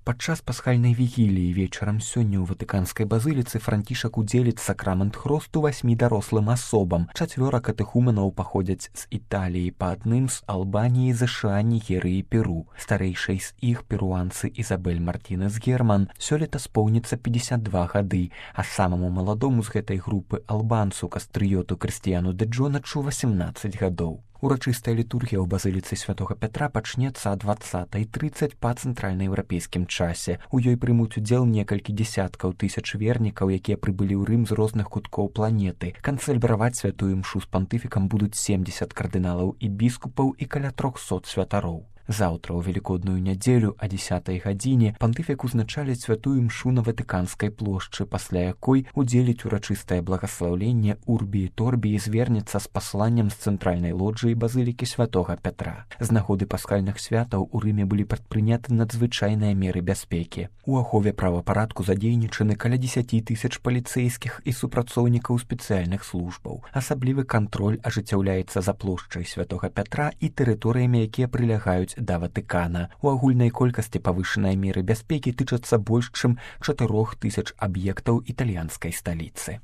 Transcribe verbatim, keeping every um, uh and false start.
Падчас пасхальнай вігіліі вечарам сёння ў ватыканскай базыліцы Францішак удзеліць сакрамент хросту васьмі дарослым асобам. Чацвёра катэхуменаў паходзяць з Італіі, па адным з Албаніі, ЗША, Нігерыі, Перу. Старэйшай з іх, перуанцы Ізабель Мартінес Герман, сёлета споўніцца пятьдесят два гады, а самаму маладому з гэтай групы албанцу кастрыёту Крыстіяну дэ Джоначу восемнадцать гадоў. Урачыстая літургія ў базыліцы святога Пятра пачнецца о двадцатай трыццаць па цэнтральнаеўрапейскім часе. У ёй прымуць удзел некалькі дзесяткаў тысяч вернікаў, якія прыбылі ў Рым з розных куткоў планеты. Канцэльбраваць святую імшу з пантыфікам будуць семдзесят кардыналаў і біскупаў і каля трохсот святароў. Заўтра ў велікодную нядзелю о дзесятай гадзіне пантыфік узначаліць святую імшу на Ватыканскай плошчы, пасля якой удзеліць урачыстае благаслаўленне Урбі і Торбі і звернецца з пасланнем з цэнтральнай лоджыі базылікі святога Пятра. З нагоды пасхальных святаў у Рыме былі прадпрыняты надзвычайныя меры бяспекі. У ахове правапарадку задзейнічаны каля дзесяць тысяч паліцэйскіх і супрацоўнікаў спецыяльных службаў. Асаблівы кантроль ажыццяўляецца за плошчай святога Пятра і тэрыторыямі, якія прылягаюць да Ватыкана. У агульнай колькасці павышаныя меры бяспекі тычацца больш чым чатырох тысяч аб'ектаў італьянскай сталіцы.